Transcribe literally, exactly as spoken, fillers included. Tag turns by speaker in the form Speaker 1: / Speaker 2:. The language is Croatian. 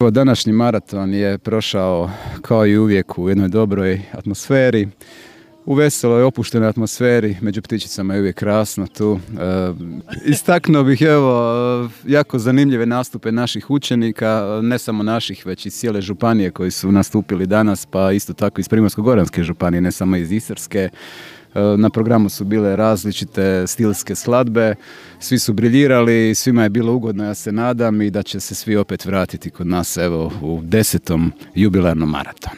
Speaker 1: Evo, današnji maraton je prošao kao i uvijek u jednoj dobroj atmosferi, u veseloj, opuštenoj atmosferi, među ptičicama je uvijek krasno tu. E, istaknuo bih evo jako zanimljive nastupe naših učenika, ne samo naših, već i cijele županije koji su nastupili danas, pa isto tako iz Primorsko-goranske županije, ne samo iz Istarske. Na programu su bile različite stilske skladbe, svi su briljirali, svima je bilo ugodno, ja se nadam, i da će se svi opet vratiti kod nas evo u desetom jubilarnom maratonu.